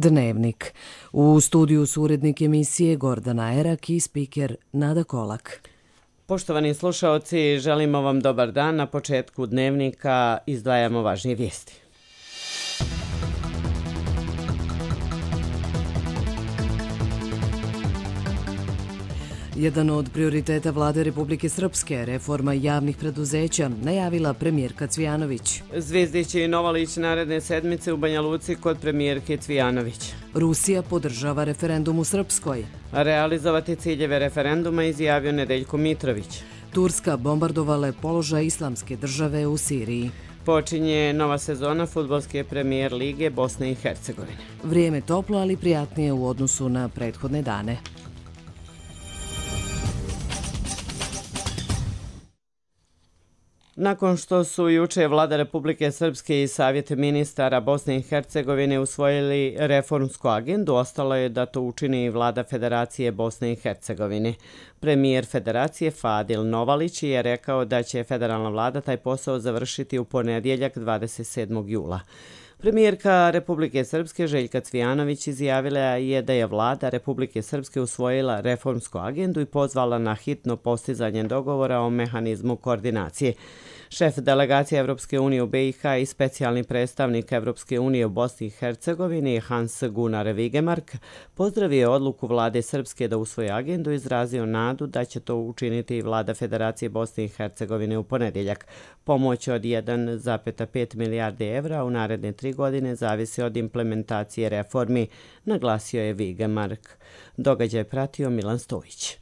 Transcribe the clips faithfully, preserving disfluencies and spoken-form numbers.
Dnevnik. U studiju su urednik emisije Gordana Erak i spiker Nada Kolak. Poštovani slušaoci, želimo vam dobar dan. Na početku Dnevnika izdvajamo važnije vijesti. Jedan od prioriteta vlade Republike Srpske, reforma javnih preduzeća, najavila premijerka Cvijanović. Zvizdić i Novalić naredne sedmice u Banja Luci kod premijerke Cvijanović. Rusija podržava referendum u Srpskoj. Realizovati ciljeve referenduma izjavio Nedeljko Mitrović. Turska bombardovala položaj Islamske države u Siriji. Počinje nova sezona fudbalske premijer lige Bosne i Hercegovine. Vrijeme toplo, ali prijatnije u odnosu na prethodne dane. Nakon što su juče vlada Republike Srpske i Savjet ministara Bosne i Hercegovine usvojili reformsku agendu, ostalo je da to učini i vlada Federacije Bosne i Hercegovine. Premijer Federacije Fadil Novalić je rekao da će federalna vlada taj posao završiti u ponedjeljak dvadeset sedmog jula. Premijerka Republike Srpske Željka Cvijanović izjavila je da je vlada Republike Srpske usvojila reformsku agendu i pozvala na hitno postizanje dogovora o mehanizmu koordinacije. Šef delegacije Evropske unije u B i H i specijalni predstavnik Evropske unije u Bosni i Hercegovini Hans Gunnar Vigemark pozdravio je odluku vlade Srpske da usvoji agendu i izrazio nadu da će to učiniti i vlada Federacije Bosne i Hercegovine u ponedjeljak. Pomoć od jedan zarez pet milijarde evra u naredne tri godine zavisi od implementacije reformi, naglasio je Vigemark. Događaj pratio Milan Stojić.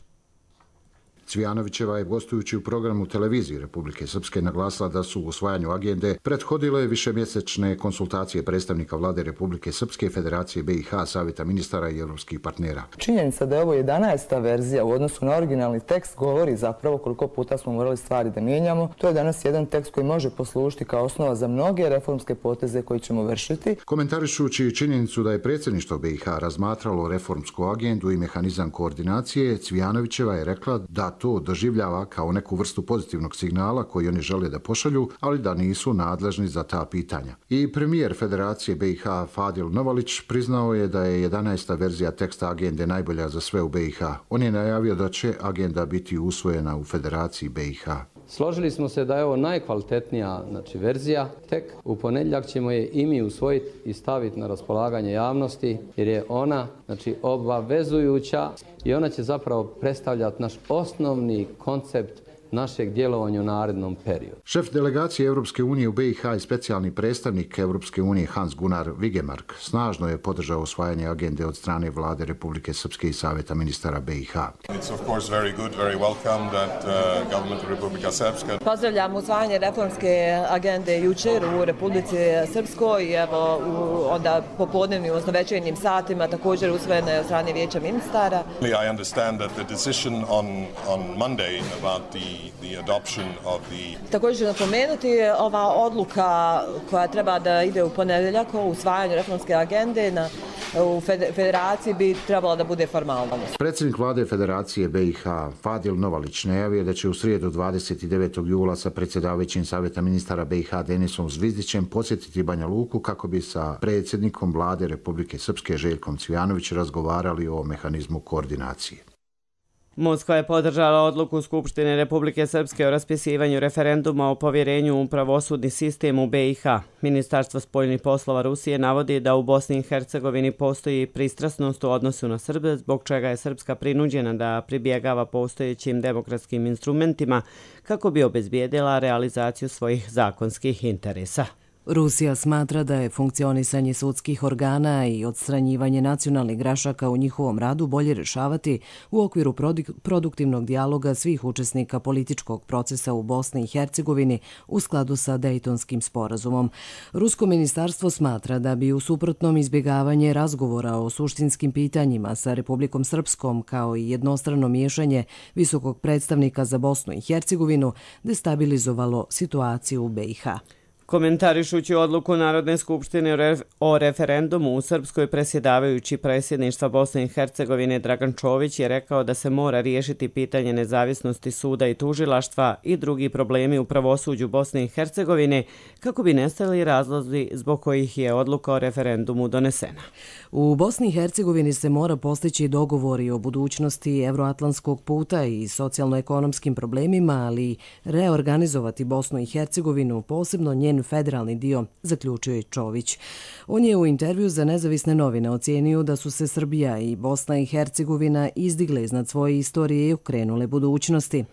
Cvijanovićeva je gostujući u programu televizije Republike Srpske naglasila da su u usvajanju agende prethodile višemjesečne konsultacije predstavnika vlade Republike Srpske, Federacije B i H, Savjeta ministara i evropskih partnera. Činjenica da je ovo jedanaesta verzija u odnosu na originalni tekst govori zapravo koliko puta smo morali stvari da mijenjamo. To je danas jedan tekst koji može poslužiti kao osnova za mnoge reformske poteze koji ćemo vršiti. Komentarišući činjenicu da je predsjedništvo B i H razmatralo reformsku agendu i mehanizam koordinacije, Cvijanovićeva je rekla da to doživljava kao neku vrstu pozitivnog signala koji oni žele da pošalju, ali da nisu nadležni za ta pitanja. I premijer Federacije B i H Fadil Novalić priznao je da je jedanaesta verzija teksta agende najbolja za sve u B i H. On je najavio da će agenda biti usvojena u Federaciji B i H. Složili smo se da je ovo najkvalitetnija znači, verzija. Tek u ponedjeljak ćemo je i mi usvojiti i staviti na raspolaganje javnosti, jer je ona znači, obavezujuća i ona će zapravo predstavljati naš osnovni koncept našeg djelovanja u narednom periodu. Šef delegacije Evropske unije u B i H i specijalni predstavnik Evropske unije Hans Gunnar Vigemark snažno je podržao usvajanje agende od strane vlade Republike Srpske i Savjeta ministara B i H. Pozdravljam usvajanje reformske agende jučer u Republici Srpskoj i evo onda popodnevnim, odnosno večernjim satima također usvojene od strane vijeća ministara. I understand that the decision on on Monday about the The adoption of the... Također ću napomenuti ova odluka koja treba da ide u ponedjeljak o usvajanju reformske agende na, u federaciji bi trebala da bude formalnost. Predsjednik vlade Federacije B i H Fadil Novalić najavio da će u srijedu dvadeset devetog jula sa predsjedavajućim Savjeta ministara B i H Denisom Zvizdićem posjetiti Banja Luku kako bi sa predsjednikom vlade Republike Srpske Željkom Cvijanović razgovarali o mehanizmu koordinacije. Moskva je podržala odluku Skupštine Republike Srpske o raspisivanju referenduma o povjerenju u pravosudni sistem u B i H. Ministarstvo spoljnih poslova Rusije navodi da u Bosni i Hercegovini postoji pristrasnost u odnosu na Srbe, zbog čega je Srpska prinuđena da pribjegava postojećim demokratskim instrumentima kako bi obezbijedila realizaciju svojih zakonskih interesa. Rusija smatra da je funkcionisanje sudskih organa i odstranjivanje nacionalnih grašaka u njihovom radu bolje rješavati u okviru produktivnog dijaloga svih učesnika političkog procesa u Bosni i Hercegovini u skladu sa Dejtonskim sporazumom. Rusko ministarstvo smatra da bi u suprotnom izbjegavanje razgovora o suštinskim pitanjima sa Republikom Srpskom kao i jednostrano miješanje visokog predstavnika za Bosnu i Hercegovinu destabilizovalo situaciju u B i H. Komentarišući odluku Narodne skupštine o referendumu u Srpskoj, predsjedavajući predsjedništva Bosne i Hercegovine Dragan Čović je rekao da se mora riješiti pitanje nezavisnosti suda i tužilaštva i drugi problemi u pravosuđu Bosne i Hercegovine kako bi nestali razlozi zbog kojih je odluka o referendumu donesena. U Bosni i Hercegovini se mora postići dogovori o budućnosti evroatlantskog puta i socijalno-ekonomskim problemima, ali reorganizovati Bosnu i Hercegovinu, posebno njen federalni dio, zaključio je Čović. On je u intervju za nezavisne novine ocijenio da su se Srbija i Bosna i Hercegovina izdigle iznad svoje istorije i okrenule budućnosti.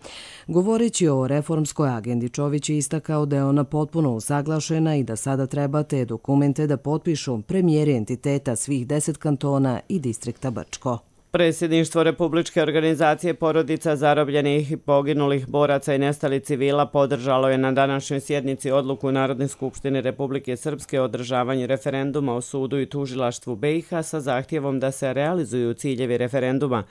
Govoreći o reformskoj agendi, Čović je istakao da je ona potpuno usaglašena i da sada treba te dokumente da potpišu premijeri entiteta svih deset kantona i distrikta Brčko. Predsjedništvo Republičke organizacije porodica zarobljenih i poginulih boraca i nestalih civila podržalo je na današnjoj sjednici odluku Narodne skupštine Republike Srpske o održavanju referenduma o sudu i tužilaštvu B i H sa zahtjevom da se realizuju ciljevi referenduma,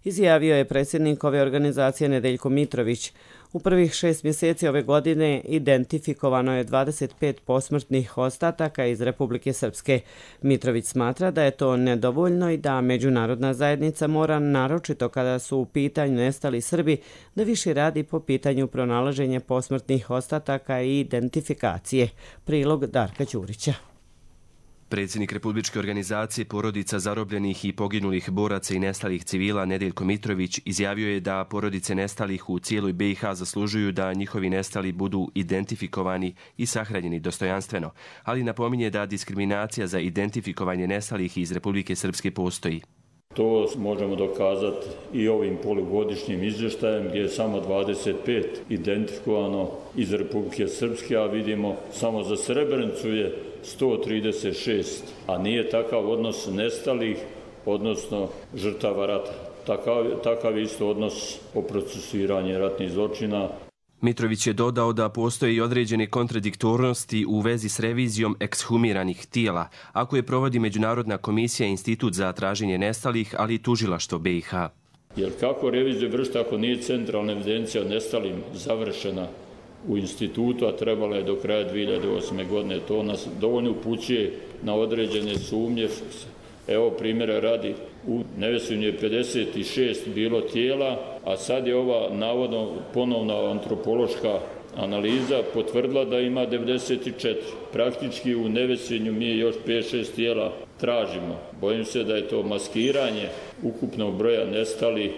izjavio je predsjednik ove organizacije Nedeljko Mitrović. U prvih šest mjeseci ove godine identifikovano je dvadeset pet posmrtnih ostataka iz Republike Srpske. Mitrović smatra da je to nedovoljno i da međunarodna zajednica mora, naročito kada su u pitanju nestali Srbi, da više radi po pitanju pronalaženja posmrtnih ostataka i identifikacije. Prilog Darka Ćurića. Predsjednik Republičke organizacije porodica zarobljenih i poginulih boraca i nestalih civila Nedeljko Mitrović izjavio je da porodice nestalih u cijeloj B i H zaslužuju da njihovi nestali budu identifikovani i sahranjeni dostojanstveno, ali napominje da diskriminacija za identifikovanje nestalih iz Republike Srpske postoji. To možemo dokazati i ovim polugodišnjim izvještajem gdje je samo dvadeset pet identifikovano iz Republike Srpske, a vidimo samo za Srebrenicu je sto trideset šest, a nije takav odnos nestalih, odnosno žrtava rata. Takav, takav isto odnos o procesuiranju ratnih zločina. Mitrović je dodao da postoje i određene kontradiktornosti u vezi s revizijom ekshumiranih tijela, ako je provodi Međunarodna komisija i Institut za traženje nestalih, ali i tužilaštvo B i H. Jer kako reviziju vršiti ako nije centralna evidencija o nestalim završena u institutu, a trebala je do kraja dvije hiljade osme. godine. To nas dovoljno upućuje na određene sumnje. Evo primjera radi, u Nevesinju je pedeset šest bilo tijela, a sad je ova navodno ponovna antropološka analiza potvrdila da ima devedeset četiri. Praktički u Nevesinju mi još pet šest tijela tražimo. Bojim se da je to maskiranje ukupnog broja nestalih.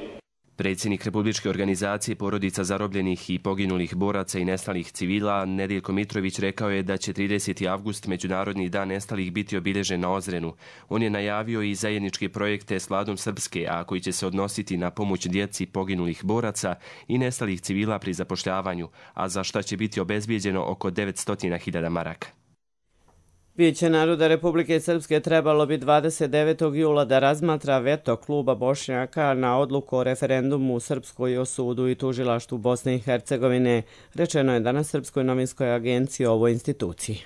Predsjednik Republičke organizacije porodica zarobljenih i poginulih boraca i nestalih civila Nedeljko Mitrović rekao je da će trideseti avgust, Međunarodni dan nestalih, biti obilježen na Ozrenu. On je najavio i zajedničke projekte s Vladom Srpske, a koji će se odnositi na pomoć djeci poginulih boraca i nestalih civila pri zapošljavanju, a za šta će biti obezbijeđeno oko devetsto hiljada maraka. Vijeće naroda Republike Srpske trebalo bi dvadeset devetog jula da razmatra veto kluba Bošnjaka na odluku o referendumu u Srpskoj o sudu i tužilaštvu Bosne i Hercegovine, rečeno je danas Srpskoj novinskoj agenciji o ovoj instituciji.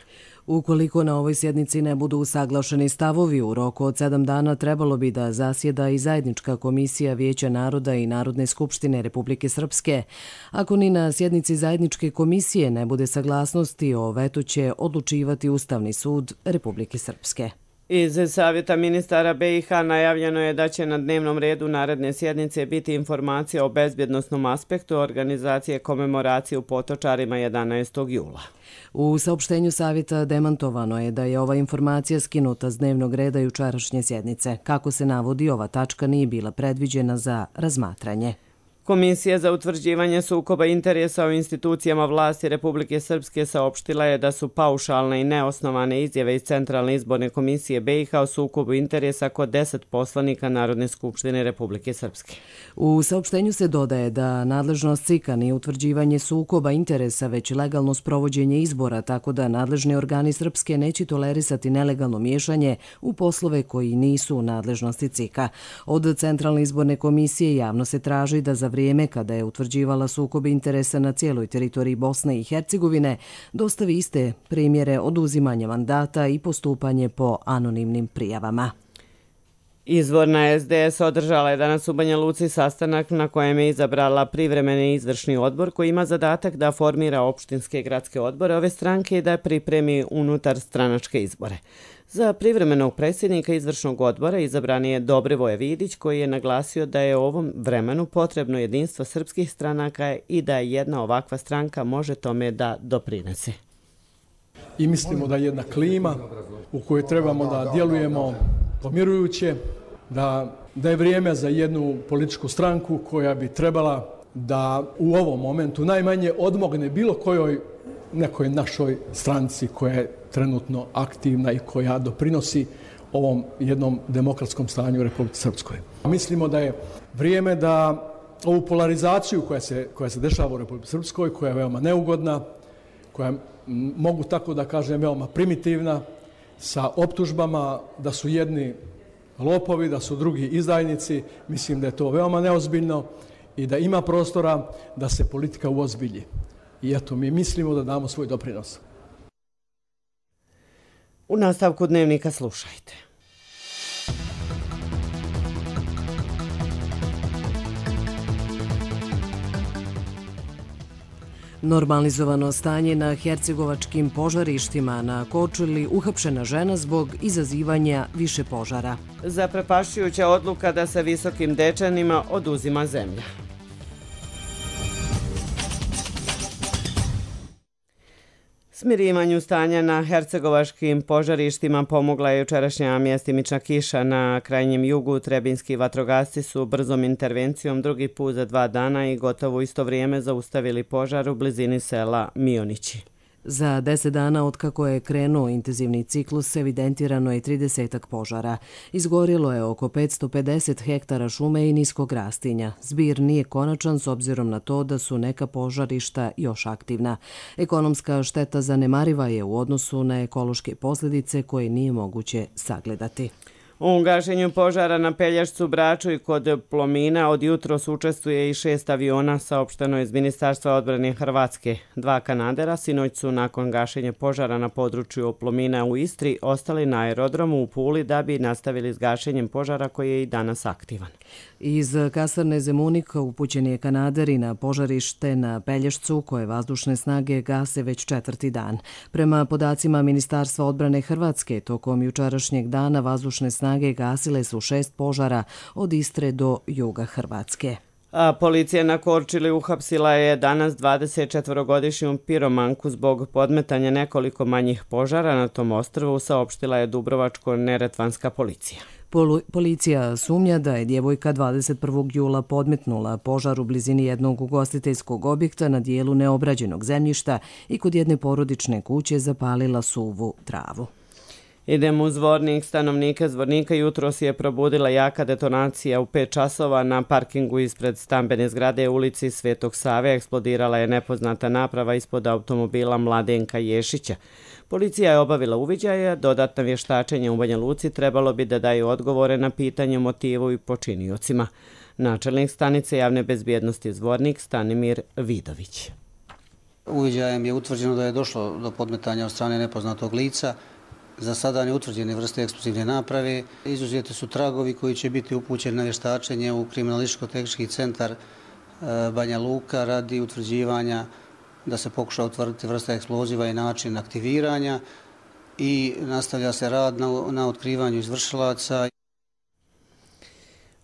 Ukoliko na ovoj sjednici ne budu usaglašeni stavovi, u roku od sedam dana trebalo bi da zasjeda i zajednička komisija Vijeća naroda i Narodne skupštine Republike Srpske. Ako ni na sjednici zajedničke komisije ne bude saglasnosti, o vetu će odlučivati Ustavni sud Republike Srpske. Iz Savjeta ministara B i H najavljeno je da će na dnevnom redu naredne sjednice biti informacija o bezbjednosnom aspektu organizacije komemoracije u Potočarima jedanaestog jula. U saopštenju Savjeta demantovano je da je ova informacija skinuta s dnevnog reda jučerašnje sjednice. Kako se navodi, ova tačka nije bila predviđena za razmatranje. Komisija za utvrđivanje sukoba interesa u institucijama vlasti Republike Srpske saopštila je da su paušalne i neosnovane izjave iz Centralne izborne komisije B i H o sukobu interesa kod deset poslanika Narodne skupštine Republike Srpske. U saopštenju se dodaje da nadležnost C I K-a nije utvrđivanje sukoba interesa, već legalno sprovođenje izbora, tako da nadležni organi Srpske neće tolerisati nelegalno miješanje u poslove koji nisu u nadležnosti C I K-a. Od Centralne izborne komisije javno se traži da za vrijeme kada je utvrđivala sukob interesa na cijeloj teritoriji Bosne i Hercegovine dostavi iste primjere oduzimanja mandata i postupanje po anonimnim prijavama. Izvorna S D S održala je danas u Banja Luci sastanak na kojem je izabrala privremeni izvršni odbor koji ima zadatak da formira opštinske i gradske odbore ove stranke i da pripremi unutar stranačke izbore. Za privremenog predsjednika izvršnog odbora izabran je Dobrivoje Vidić koji je naglasio da je u ovom vremenu potrebno jedinstvo srpskih stranaka i da jedna ovakva stranka može tome da doprinese. I mislimo da je jedna klima u kojoj trebamo da djelujemo pomirujuće, da, da je vrijeme za jednu političku stranku koja bi trebala da u ovom momentu najmanje odmogne bilo kojoj nekoj našoj stranci koja je trenutno aktivna i koja doprinosi ovom jednom demokratskom stanju u Republici Srpskoj. Mislimo da je vrijeme da ovu polarizaciju koja se, koja se dešava u Republici Srpskoj, koja je veoma neugodna, koja mogu tako da kažem veoma primitivna, sa optužbama da su jedni lopovi, da su drugi izdajnici, mislim da je to veoma neozbiljno i da ima prostora da se politika uozbilji. I eto, mi mislimo da damo svoj doprinos. U nastavku dnevnika slušajte. Normalizovano stanje na hercegovačkim požarištima, na Korčuli uhapšena žena zbog izazivanja više požara. Zaprepašćujuća odluka da se Visokim Dečanima oduzima zemlja. Smirivanju stanja na hercegovačkim požarištima pomogla je jučerašnja mjestimična kiša na krajnjem jugu. Trebinski vatrogasci su brzom intervencijom drugi put za dva dana i gotovo u isto vrijeme zaustavili požar u blizini sela Mionići. Za deset dana otkako je krenuo intenzivni ciklus evidentirano je tridesetak požara. Izgorilo je oko petsto pedeset hektara šume i niskog rastinja. Zbir nije konačan s obzirom na to da su neka požarišta još aktivna. Ekonomska šteta zanemariva je u odnosu na ekološke posljedice koje nije moguće sagledati. U gašenju požara na Pelješcu, Braču i kod Plomina od jutros učestvuje i šest aviona, saopšteno iz Ministarstva odbrane Hrvatske. Dva kanadera sinoć su nakon gašenja požara na području Plomina u Istri ostali na aerodromu u Puli da bi nastavili s gašenjem požara koji je i danas aktivan. Iz kasarne Zemunik upućen je kanader i na požarište na Pelješcu koje vazdušne snage gase već četvrti dan. Prema podacima Ministarstva odbrane Hrvatske, tokom jučerašnjeg dana vazdušne snage gasile su šest požara od Istre do juga Hrvatske. A policija na Korčuli uhapsila je danas dvadesetčetvorogodišnju piromanku zbog podmetanja nekoliko manjih požara na tom ostrvu, saopštila je Dubrovačko-neretvanska policija. Policija sumnja da je djevojka dvadeset prvog jula podmetnula požar u blizini jednog ugostiteljskog objekta na dijelu neobrađenog zemljišta i kod jedne porodične kuće zapalila suvu travu. Idemo u Zvornik. Stanovnike Zvornika jutros je probudila jaka detonacija u pet časova na parkingu ispred stambene zgrade u ulici Svetog Save. Eksplodirala je nepoznata naprava ispod automobila Mladenka Ješića. Policija je obavila uviđaje, dodatna vještačenja u Banja Luci trebalo bi da daju odgovore na pitanje motivu i počiniocima. Načelnik stanice javne bezbjednosti Zvornik Stanimir Vidović. Uviđajem je utvrđeno da je došlo do podmetanja od strane nepoznatog lica. Za sada neutvrđene vrste eksplozivne naprave. Izuzeti su tragovi koji će biti upućeni na vještačenje u kriminalističko-tehnički centar Banja Luka radi utvrđivanja da se pokuša utvrditi vrsta eksploziva i način aktiviranja i nastavlja se rad na, na otkrivanju izvršilaca.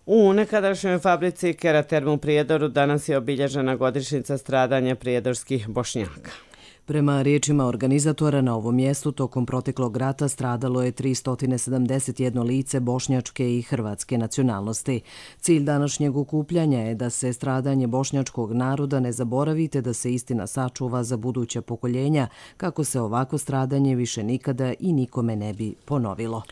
U nekadašnjoj fabrici Keraterm u Prijedoru danas je obilježena godišnjica stradanja prijedorskih Bošnjaka. Prema riječima organizatora, na ovom mjestu tokom proteklog rata stradalo je tristo sedamdeset jedno lice bošnjačke i hrvatske nacionalnosti. Cilj današnjeg okupljanja je da se stradanje bošnjačkog naroda ne zaboravi te da se istina sačuva za buduća pokoljenja, kako se ovako stradanje više nikada i nikome ne bi ponovilo.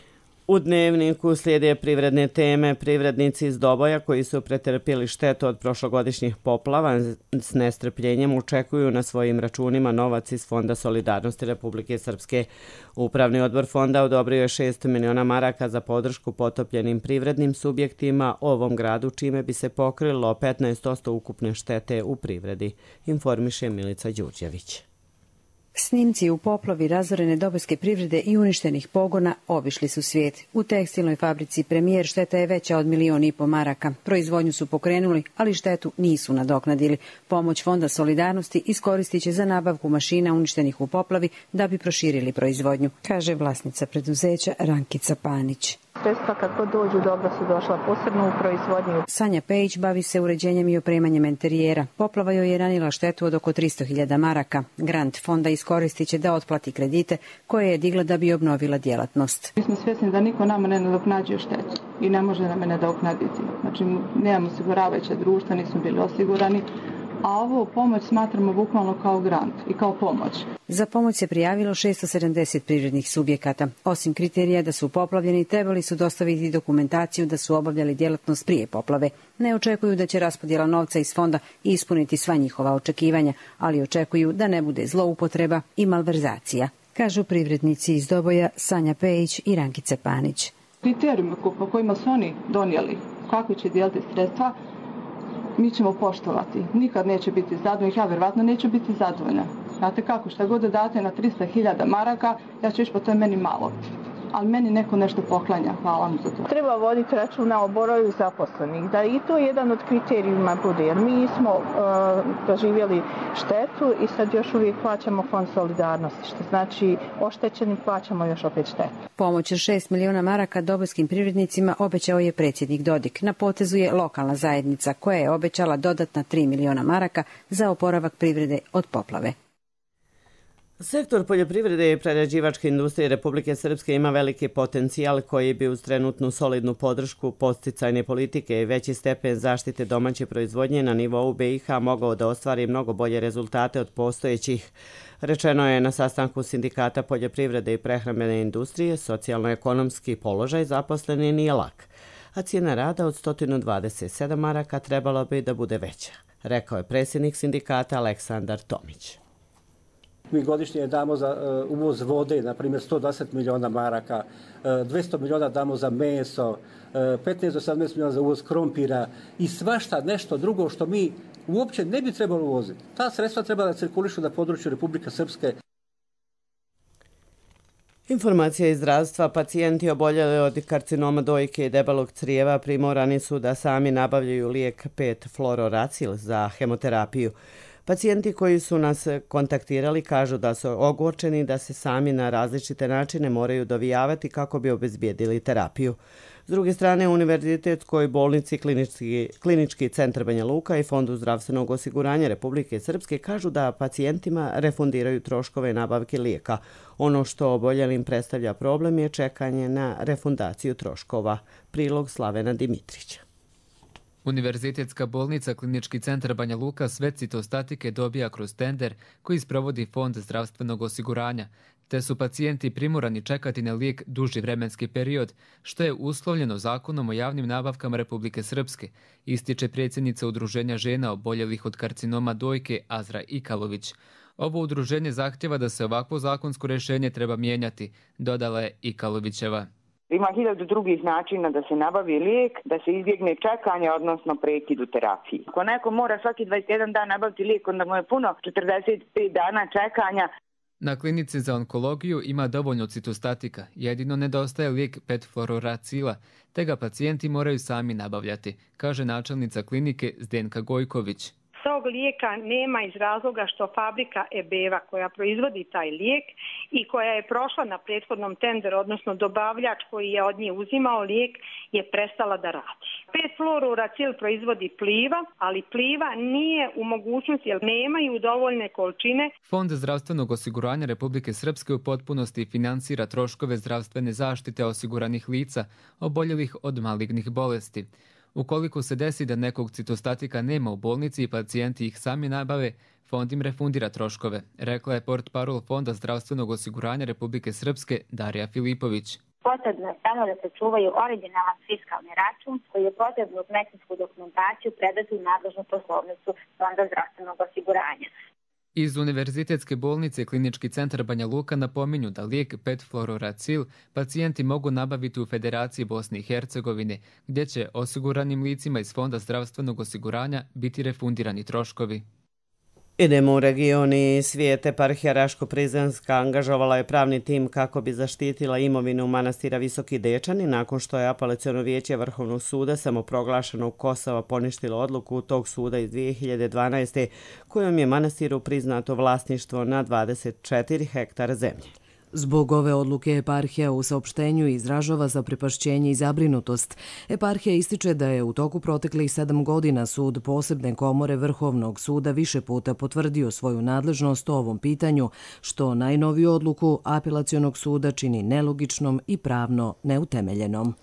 U dnevniku slijede privredne teme. Privrednici iz Doboja koji su pretrpjeli štetu od prošlogodišnjih poplava s nestrpljenjem očekuju na svojim računima novac iz Fonda solidarnosti Republike Srpske. Upravni odbor fonda odobrio je šest miliona maraka za podršku potopljenim privrednim subjektima ovom gradu, čime bi se pokrilo petnaest posto ukupne štete u privredi, informiše Milica Đurđević. Snimci u poplavi razorene dobojske privrede i uništenih pogona obišli su svijet. U tekstilnoj fabrici Premijer šteta je veća od milion i po maraka. Proizvodnju su pokrenuli, ali štetu nisu nadoknadili. Pomoć Fonda solidarnosti iskoristit će za nabavku mašina uništenih u poplavi da bi proširili proizvodnju, kaže vlasnica preduzeća Rankica Panić. Sredstva kad god dođu dobro su došla posebno u proizvodnju. Sanja Pejić bavi se uređenjem i opremanjem enterijera. Poplava joj je nanijela štetu od oko tristo hiljada maraka. Grant fonda iskoristit će da otplati kredite koje je digla da bi obnovila djelatnost. Mi smo svjesni da niko nama ne nadoknađuje štetu i ne može nam je nadoknaditi. Znači, nemamo osiguravajuće društva, nismo bili osigurani. A ovo pomoć smatramo bukvalno kao grant i kao pomoć. Za pomoć se prijavilo šesto sedamdeset privrednih subjekata. Osim kriterija da su poplavljeni, trebali su dostaviti dokumentaciju da su obavljali djelatnost prije poplave. Ne očekuju da će raspodjela novca iz fonda ispuniti sva njihova očekivanja, ali očekuju da ne bude zloupotreba i malverzacija, kažu privrednici iz Doboja Sanja Pejić i Rankice Panić. Kriterijumi po kojima su oni donijeli kako će dijeliti sredstva, mi ćemo poštovati. Nikad neće biti zadovoljni, ja vjerovatno neću biti zadovoljna. Znate kako, šta god da date na tristo hiljada maraka, ja ću ići po to je meni malo. Ali meni neko nešto poklanja, hvala mu za to. Treba voditi računa o broju zaposlenih, da i to jedan od kriterijuma bude, jer mi smo uh, doživjeli štetu i sad još uvijek plaćamo Fond solidarnosti, što znači oštećeni plaćamo još opet štetu. Pomoć od šest miliona maraka dobojskim privrednicima obećao je predsjednik Dodik. Na potezu je lokalna zajednica koja je obećala dodatna tri miliona maraka za oporavak privrede od poplave. Sektor poljoprivrede i prerađivačke industrije Republike Srpske ima veliki potencijal koji bi uz trenutnu solidnu podršku podsticajne politike i veći stepen zaštite domaće proizvodnje na nivou B i H mogao da ostvari mnogo bolje rezultate od postojećih. Rečeno je na sastanku Sindikata poljoprivrede i prehrambene industrije, socijalno-ekonomski položaj zaposleni nije lak, a cijena rada od sto dvadeset sedam maraka trebalo bi da bude veća, rekao je predsjednik sindikata Aleksandar Tomić. Mi godišnje damo za uh, uvoz vode, na primjer sto dvadeset miliona maraka, uh, dvjesto miliona damo za meso, uh, petnaest do sedamnaest miliona za uvoz krompira i svašta nešto drugo što mi uopće ne bi trebalo uvoziti. Ta sredstva treba da cirkulišu na području Republike Srpske. Informacija iz zdravstva. Pacijenti oboljeli od karcinoma dojke i debelog crijeva primorani su da sami nabavljaju lijek pet fluororacil za hemoterapiju. Pacijenti koji su nas kontaktirali kažu da su ogorčeni da se sami na različite načine moraju dovijavati kako bi obezbijedili terapiju. S druge strane, u Univerzitetskoj bolnici Klinički, Klinički centar Banja Luka i Fondu zdravstvenog osiguranja Republike Srpske kažu da pacijentima refundiraju troškove nabavke lijeka. Ono što oboljelim predstavlja problem je čekanje na refundaciju troškova. Prilog Slavena Dimitrića. Univerzitetska bolnica Klinički centar Banja Luka sve citostatike dobija kroz tender koji sprovodi Fond zdravstvenog osiguranja, te su pacijenti primorani čekati na lijek duži vremenski period, što je uslovljeno Zakonom o javnim nabavkama Republike Srpske, ističe predsjednica Udruženja žena oboljelih od karcinoma dojke Azra Ikalović. Ovo udruženje zahtjeva da se ovakvo zakonsko rješenje treba mijenjati, dodala je Ikalovićeva. Ima hiljadu drugih načina da se nabavi lijek, da se izbjegne čekanje, odnosno prekid u terapiji. Ako neko mora svaki dvadeset jedan dan nabaviti lijek, onda mu je puno četrdeset pet dana čekanja. Na klinici za onkologiju ima dovoljno citostatika, jedino nedostaje lijek pet fluororacila, te ga pacijenti moraju sami nabavljati, kaže načelnica klinike Zdenka Gojković. Tog lijeka nema iz razloga što fabrika Ebeva koja proizvodi taj lijek i koja je prošla na prethodnom tenderu, odnosno dobavljač koji je od nje uzimao lijek, je prestala da radi. pet fluororacil proizvodi Pliva, ali Pliva nije u mogućnosti jer nemaju dovoljne količine. Fond zdravstvenog osiguranja Republike Srpske u potpunosti finansira troškove zdravstvene zaštite osiguranih lica oboljelih od malignih bolesti. Ukoliko se desi da nekog citostatika nema u bolnici i pacijenti ih sami nabave, fond im refundira troškove, rekla je portparol Fonda zdravstvenog osiguranja Republike Srpske Darija Filipović. Potrebno je samo da se čuvaju originalan fiskalni račun koji je potrebno uz medicinsku dokumentaciju predati u nadležnu poslovnicu Fonda zdravstvenog osiguranja. Iz Univerzitetske bolnice Klinički centar Banja Luka napominju da lijek pet fluororacil pacijenti mogu nabaviti u Federaciji Bosne i Hercegovine, gdje će osiguranim licima iz Fonda zdravstvenog osiguranja biti refundirani troškovi. Idemo u regioni svijet. Eparhija Raško-Prizrenska angažovala je pravni tim kako bi zaštitila imovinu manastira Visoki Dečani nakon što je apelaciono vijeće Vrhovnog suda samoproglašenog Kosova poništilo odluku tog suda iz dvije hiljade dvanaeste. kojom je manastiru priznato vlasništvo na dvadeset četiri hektara zemlje. Zbog ove odluke eparhija u saopštenju izražava zaprepašćenje i zabrinutost. Eparhija ističe da je u toku proteklih sedam godina sud posebne komore Vrhovnog suda više puta potvrdio svoju nadležnost o ovom pitanju, što najnoviju odluku apelacionog suda čini nelogičnom i pravno neutemeljenom.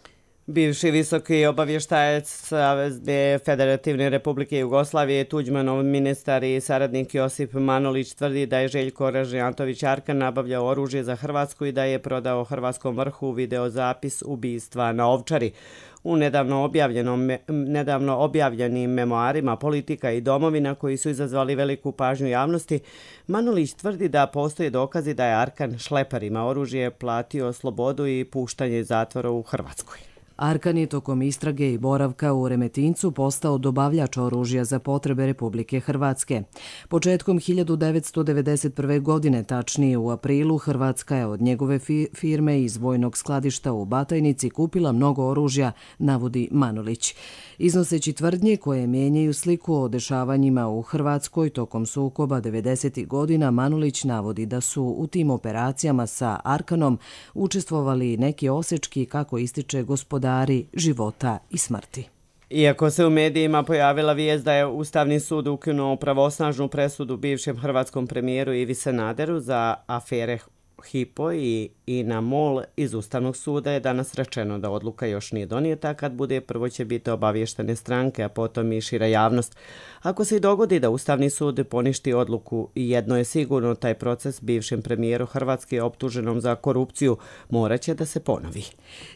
Bivši visoki obavještajac Savezne Federativne Republike Jugoslavije, Tuđmanov ministar i saradnik Josip Manolić tvrdi da je Željko Ražnjatović Arkan nabavljao oružje za Hrvatsku i da je prodao Hrvatskom vrhu videozapis ubistva na Ovčari. U nedavno, objavljenom, nedavno objavljenim memoarima Politika i domovina koji su izazvali veliku pažnju javnosti, Manolić tvrdi da postoje dokazi da je Arkan šleparima oružje platio slobodu i puštanje iz zatvora u Hrvatskoj. Arkan je tokom istrage i boravka u Remetincu postao dobavljač oružja za potrebe Republike Hrvatske. Početkom hiljadu devetsto devedeset prve. godine, tačnije u aprilu, Hrvatska je od njegove firme iz vojnog skladišta u Batajnici kupila mnogo oružja, navodi Manolić. Iznoseći tvrdnje koje mijenjaju sliku o dešavanjima u Hrvatskoj tokom sukoba devedesetih godina, Manolić navodi da su u tim operacijama sa Arkanom učestvovali neki osečki, kako ističe, gospodari života i smrti. Iako se u medijima pojavila vijest da je Ustavni sud ukinuo pravosnažnu presudu bivšem hrvatskom premijeru Ivi Sanaderu za afere Hypo i INA MOL iz Ustavnog suda, je danas rečeno da odluka još nije donijeta. Kad bude, prvo će biti obavještene stranke, a potom i šira javnost. Ako se i dogodi da Ustavni sud poništi odluku, jedno je sigurno, taj proces bivšem premijeru Hrvatske optuženom za korupciju morat će da se ponovi.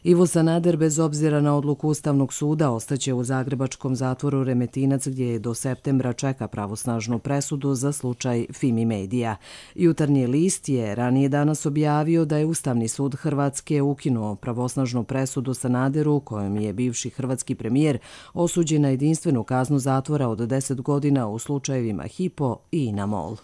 Ivo Sanader, bez obzira na odluku Ustavnog suda, ostaće u zagrebačkom zatvoru Remetinac, gdje je do septembra čeka pravosnažnu presudu za slučaj Fimi Medija. Jutarnji list je ranije danas objavio da je Ustavni sud Hrvatske ukinuo pravosnažnu presudu Sanaderu, kojom je bivši hrvatski premijer osuđen na jedinstvenu kaznu zatvora od deset godina u slučajevima Hypo i INA MOL.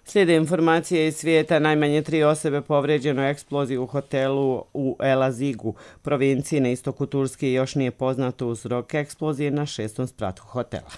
Slijede informacije iz svijeta. Najmanje tri osobe povrijeđeno eksploziju u hotelu u El Azigu, provinciji na istoku Turske. Još nije poznato uzrok eksplozije na šestom spratu hotela.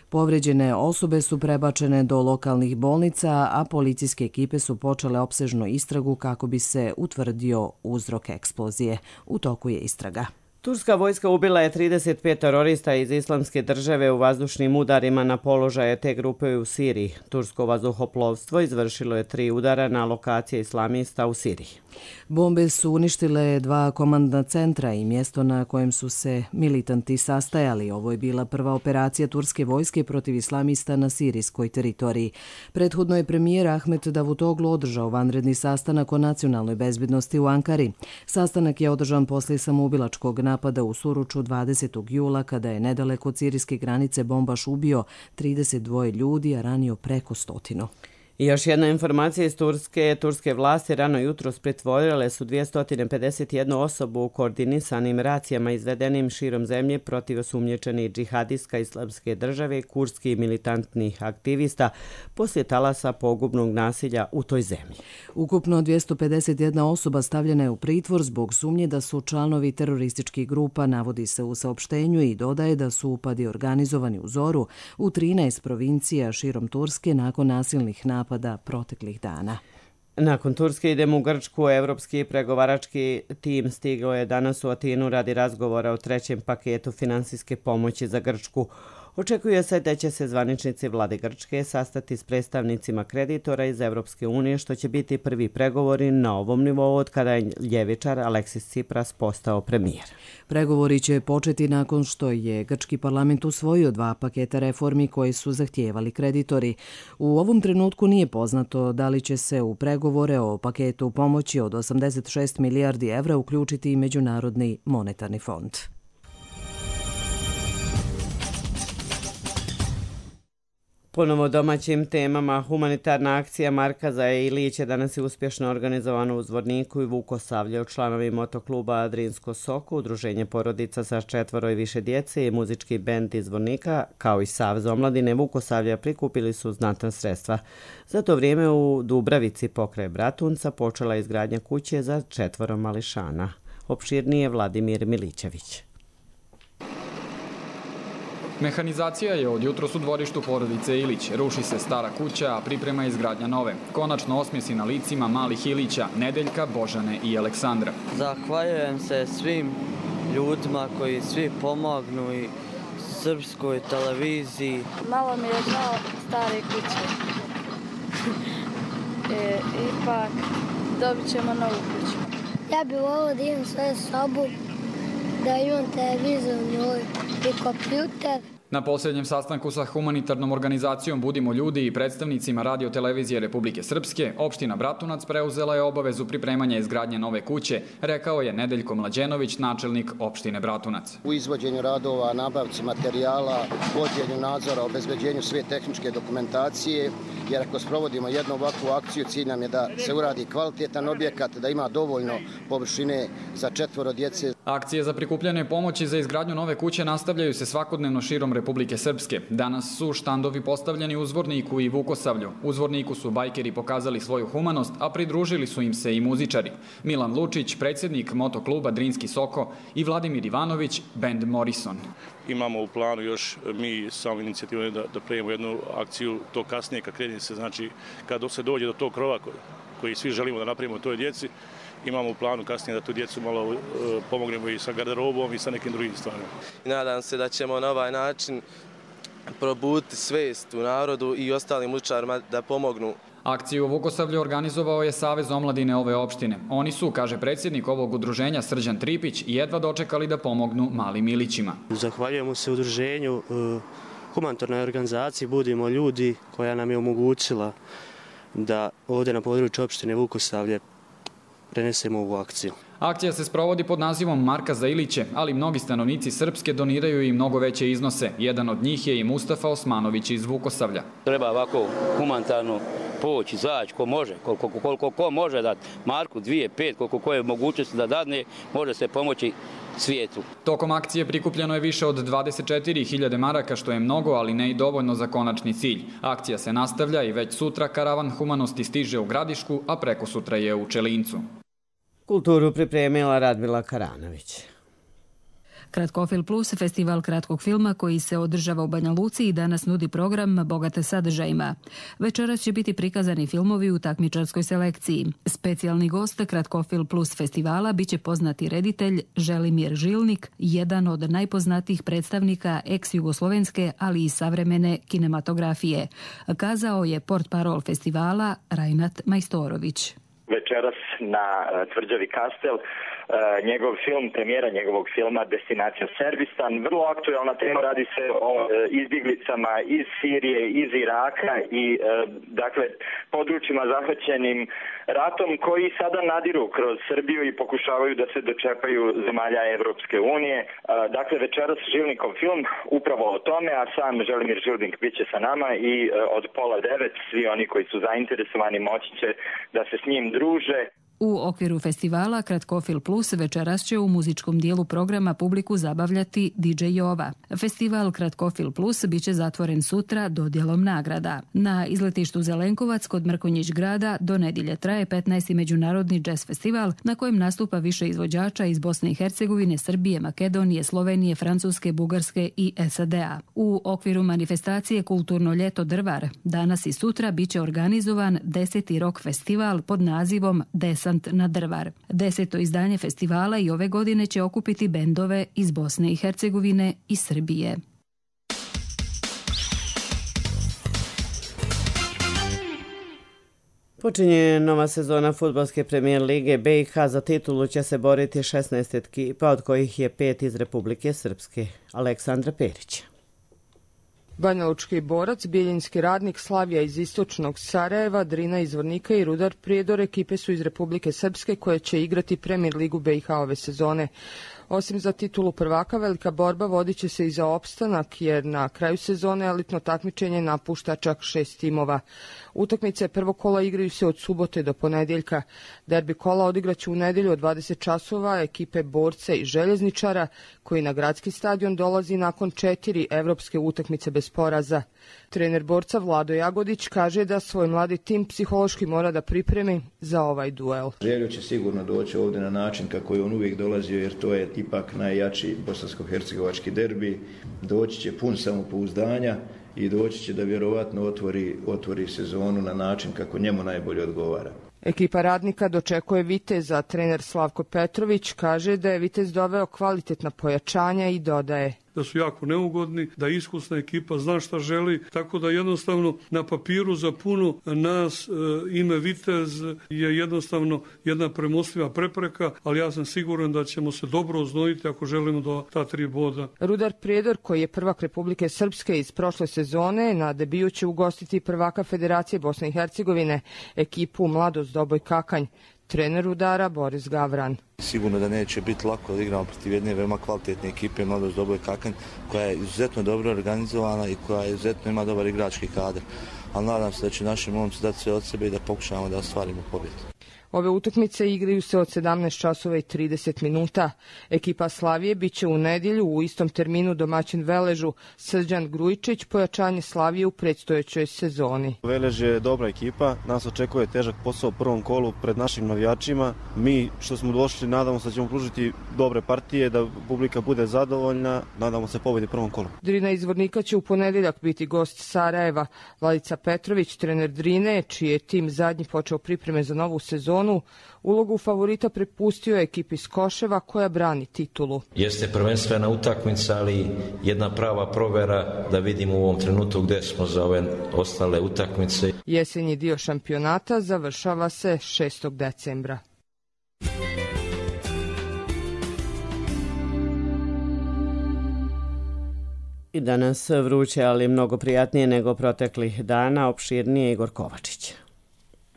Povrijeđene osobe su prebačene do lokalnih bolnica, a policijske ekipe su počele opsežnu istragu kako bi se utvrdio uzrok eksplozije. U toku je istraga. Turska vojska ubila je trideset pet terorista iz Islamske države u vazdušnim udarima na položaje te grupe u Siriji. Tursko vazduhoplovstvo izvršilo je tri udara na lokacije islamista u Siriji. Bombe su uništile dva komandna centra i mjesto na kojem su se militanti sastajali. Ovo je bila prva operacija turske vojske protiv islamista na sirijskoj teritoriji. Prethodno je premijer Ahmet Davutoglu održao vanredni sastanak o nacionalnoj bezbednosti u Ankari. Sastanak je održan poslije samoubilačkog napada u Suruču dvadesetog jula, kada je nedaleko od sirijske granice bombaš ubio trideset dva ljudi, a ranio preko stotinu. I još jedna informacija iz Turske. Turske vlasti rano jutros pritvorile su dvjesto pedeset jednu osobu u koordinisanim racijama izvedenim širom zemlje protiv osumnjičenih džihadistka Islamske države, kurskih militantnih aktivista poslije talasa pogubnog nasilja u toj zemlji. Ukupno dvjesto pedeset jedna osoba stavljena je u pritvor zbog sumnje da su članovi terorističkih grupa, navodi se u saopštenju, i dodaje da su upadi organizovani u zoru u trinaest provincija širom Turske nakon nasilnih napada proteklih dana. Nakon Turske idemo u Grčku. Evropski pregovarački tim stigao je danas u Atinu radi razgovora o trećem paketu finansijske pomoći za Grčku. Očekuje se da će se zvaničnici vlade Grčke sastati s predstavnicima kreditora iz Evropske unije, što će biti prvi pregovori na ovom nivou od kada je ljevičar Aleksis Tsipras postao premijer. Pregovori će početi nakon što je grčki parlament usvojio dva paketa reformi koje su zahtijevali kreditori. U ovom trenutku nije poznato da li će se u pregovore o paketu pomoći od osamdeset šest milijardi evra uključiti i Međunarodni monetarni fond. Ponovo domaćim temama, humanitarna akcija Marka za Ilić je danas i uspješno organizovana u Zvorniku i Vukosavlju. Članovi motokluba Adrinsko Soko, udruženje porodica sa četvoro i više djece i muzički bend iz Zvornika, kao i Savez omladine Vukosavlja, prikupili su znatna sredstva. Za to vrijeme u Dubravici pokraj Bratunca počela je izgradnja kuće za četvoro mališana. Opširnije Vladimir Milićević. Mehanizacija je od jutros u dvorištu porodice Ilić. Ruši se stara kuća, a priprema izgradnja nove. Konačno osmjesi na licima malih Ilića, Nedeljka, Božane i Aleksandra. Zahvaljujem se svim ljudima koji svi pomognu i srpskoj televiziji. Malo mi je žao stare kuće. e, ipak dobit ćemo novu kuću. Ja bih volila da imam svoju sobu, da imam televizor u njoj i kompjuter. Na posljednjem sastanku sa humanitarnom organizacijom Budimo ljudi i predstavnicima Radio televizije Republike Srpske, opština Bratunac preuzela je obavezu pripremanja izgradnje nove kuće, rekao je Nedeljko Mlađenović, načelnik opštine Bratunac. U izvođenju radova, nabavci materijala, vođenju nadzora, obezbeđenju sve tehničke dokumentacije, jer ako sprovodimo jednu ovakvu akciju, cilj nam je da se uradi kvalitetan objekat, da ima dovoljno površine za četvoro djece. Akcije za prikupljanje pomoći za izgradnju nove kuće nastavljaju se svakodnevno širom Republike Srpske. Danas su štandovi postavljeni u Zvorniku i Vukosavlju. U Zvorniku su bajkeri pokazali svoju humanost, a pridružili su im se i muzičari. Milan Lučić, predsjednik motokluba Drinski Soko, i Vladimir Ivanović, bend Morrison. Imamo u planu još mi samom inicijativom da, da prejemo jednu akciju to kasnije kad krene se, znači kad se dođe do tog krova koji, koji svi želimo da napravimo toj djeci, imamo u planu kasnije da tu djecu malo uh, pomognemo i sa garderobom i sa nekim drugim stvarima. Nadam se da ćemo na ovaj način probuditi svest u narodu i ostalim muzičarima da pomognu. Akciju u Vukosavlju organizovao je Savez omladine ove opštine. Oni su, kaže predsjednik ovog udruženja Srđan Tripić, jedva dočekali da pomognu malim Ilićima. Zahvaljujemo se udruženju uh, humanitarnoj organizaciji Budimo ljudi, koja nam je omogućila da ovdje na području opštine Vukosavlje prenesemo ovu akciju. Akcija se sprovodi pod nazivom Marka za Iliće, ali mnogi stanovnici Srpske doniraju i mnogo veće iznose. Jedan od njih je i Mustafa Osmanović iz Vukosavlja. Treba ovako humanitarno poći, zaći, ko može, koliko, koliko ko može dati marku, dvije, pet, koliko ko je mogućnost da dadne, može se pomoći svijetu. Tokom akcije prikupljeno je više od dvadeset četiri hiljade maraka, što je mnogo, ali ne i dovoljno za konačni cilj. Akcija se nastavlja i već sutra karavan humanosti stiže u Gradišku, a preko sutra je u Čelincu. Kulturu pripremila Radmila Karanović. Kratkofilm Plus, festival kratkog filma koji se održava u Banja Luci i danas nudi program bogate sadržajima. Večeras će biti prikazani filmovi u takmičarskoj selekciji. Specijalni gost Kratkofilm Plus festivala biće poznati reditelj Želimir Žilnik, jedan od najpoznatijih predstavnika ex-jugoslovenske, ali i savremene kinematografije. Kazao je portparol festivala Rajnat Majstorović. Večeras na tvrđavi Kastel njegov film, premijera njegovog filma Destinacija Serbistan. Vrlo aktualna tema, radi se o izbjeglicama iz Sirije, iz Iraka i dakle područjima zahvaćenim ratom koji sada nadiru kroz Srbiju i pokušavaju da se dočepaju zemalja Evropske unije. Dakle, večeras Žilnikov film upravo o tome, a sam Želimir Žilnik bit će sa nama i od pola devet svi oni koji su zainteresovani moći će da se s njim druže. U okviru festivala Kratkofilm Plus večeras će u muzičkom dijelu programa publiku zabavljati D J Jova. Festival Kratkofilm Plus biće zatvoren sutra dodjelom nagrada. Na izletištu Zelenkovac kod Mrkonjić grada do nedjelje traje petnaesti međunarodni jazz festival na kojem nastupa više izvođača iz Bosne i Hercegovine, Srbije, Makedonije, Slovenije, Francuske, Bugarske i S A D A. U okviru manifestacije Kulturno ljeto Drvar danas i sutra biće organizovan deseti rock festival pod nazivom Desant na Drvar. Deseto izdanje festivala i ove godine će okupiti bendove iz Bosne i Hercegovine i Srbije. Počinje nova sezona fudbalske premijer lige. B i H za titulu će se boriti šesnaest ekipa, od kojih je pet iz Republike Srpske. Aleksandra Perić. Banjalučki Borac, Bijeljinski Radnik, Slavija iz istočnog Sarajeva, Drina iz Zvornika i Rudar Prijedor ekipe su iz Republike Srpske koje će igrati premijer ligu B i H ove sezone. Osim za titulu prvaka, velika borba vodit će se i za opstanak, jer na kraju sezone elitno takmičenje napušta čak šest timova. Utakmice prvog kola igraju se od subote do ponedjeljka. Derbi kola odigraće u nedjelju od dvadeset časova ekipe Borca i Željezničara, koji na gradski stadion dolazi nakon četiri evropske utakmice bez poraza. Trener Borca Vlado Jagodić kaže da svoj mladi tim psihološki mora da pripremi za ovaj duel. Željo će sigurno doći ovdje na način kako je on uvijek dolazio, jer to je ipak najjači bosansko-hercegovački derbi. Doći će pun samopouzdanja i doći će da vjerovatno otvori, otvori sezonu na način kako njemu najbolje odgovara. Ekipa Radnika dočekuje Viteza. Trener Slavko Petrović kaže da je Vitez doveo kvalitetna pojačanja i dodaje: da su jako neugodni, da iskusna ekipa zna šta želi, tako da jednostavno na papiru za puno nas e, ime Vitez je jednostavno jedna premostljiva prepreka, ali ja sam siguran da ćemo se dobro oznojiti ako želimo do ta tri boda. Rudar Prijedor, koji je prvak Republike Srpske iz prošle sezone, na debiju će ugostiti prvaka Federacije Bosne i Hercegovine, ekipu Mladost Doboj Kakanj. Trener Rudara Boris Gavran. Sigurno da neće biti lako da igramo protiv jedne veoma kvalitetne ekipe Mladost Doboj Kakanj, koja je izuzetno dobro organizovana i koja je izuzetno ima dobar igrački kadar. Ali nadam se da će naši momci dati sve od sebe i da pokušamo da ostvarimo pobjedu. Ove utakmice igraju se od sedamnaest časova i trideset minuta. Ekipa Slavije biće u nedjelju u istom terminu domaćin Veležu. Srđan Grujičić, pojačanje Slavije u predstojećoj sezoni. Velež je dobra ekipa, nas očekuje težak posao u prvom kolu pred našim navijačima. Mi što smo došli, nadamo se da ćemo pružiti dobre partije, da publika bude zadovoljna, nadamo se pobjedi u prvom kolu. Drina iz Zvornika će u ponedjeljak biti gost Sarajeva. Vladica Petrović, trener Drine, čiji je tim zadnji počeo pripreme za novu sezonu, ulogu favorita prepustio je ekipi iz Koševa koja brani titulu. Jeste prvenstvena utakmica, ali jedna prava provjera da vidimo u ovom trenutku gdje smo za ove ostale utakmice. Jesenji dio šampionata završava se šestog decembra. I danas vruće, ali mnogo prijatnije nego proteklih dana, opširnije Igor Kovačić.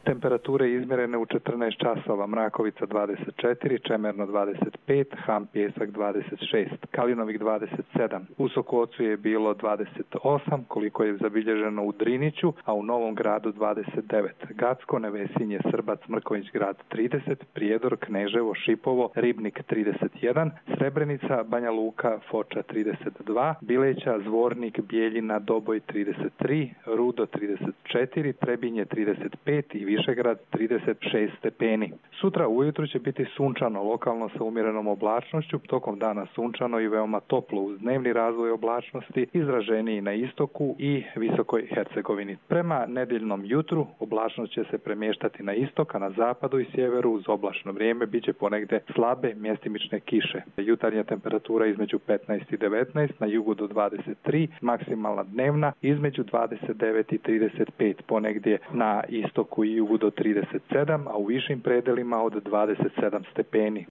Temperature izmjerene u četrnaest časova, Mrakovica dvadeset četiri, Čemerno dvadeset pet, Ham Pjesak dvadeset šest, Kalinovik dvadeset sedam. U Sokocu je bilo dvadeset osam, koliko je zabilježeno u Driniću, a u Novom Gradu dvadeset devet. Gacko, Nevesinje, Srbac, Mrković grad trideset, Prijedor, Kneževo, Šipovo, Ribnik trideset jedan, Srebrenica, Banja Luka, Foča trideset dva, Bileća, Zvornik, Bijeljina, Doboj trideset tri, Rudo trideset četiri, Trebinje trideset pet i Višegrad trideset šest stepeni. Sutra ujutru će biti sunčano, lokalno sa umjerenom oblačnošću, tokom dana sunčano i veoma toplo uz dnevni razvoj oblačnosti, izraženiji na istoku i visokoj Hercegovini. Prema nedjeljnom jutru oblačnost će se premještati na istok, a na zapadu i sjeveru uz oblačno vrijeme bit će ponegde slabe mjestimične kiše. Jutarnja temperatura između petnaest i devetnaest, na jugu do dvadeset tri, maksimalna dnevna između dvadeset devet i trideset pet, ponegdje na istoku i jugu do trideset sedam, a u višim predelima od dvadeset sedam stepeni.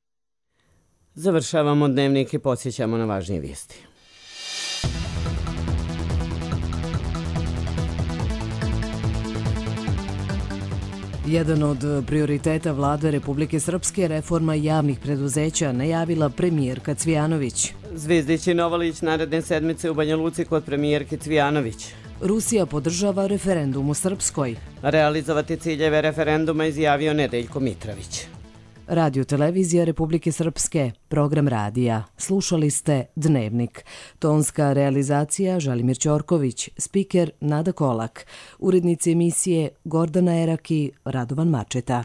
Završavamo dnevnik i podsjećamo na važnije vijesti. Jedan od prioriteta vlade Republike Srpske je reforma javnih preduzeća, najavila premijerka Cvijanović. Zvizdić i Novalić naredne sedmice u Banja Luci kod premijerke Cvijanović. Rusija podržava referendum u Srpskoj. Realizovati ciljeve referenduma izjavio Nedeljko Mitrović. Radio Televizija Republike Srpske, program radija. Slušali ste Dnevnik. Tonska realizacija Želimir Ćorković, spiker Nada Kolak, urednici emisije Gordana Eraki, Radovan Mačeta.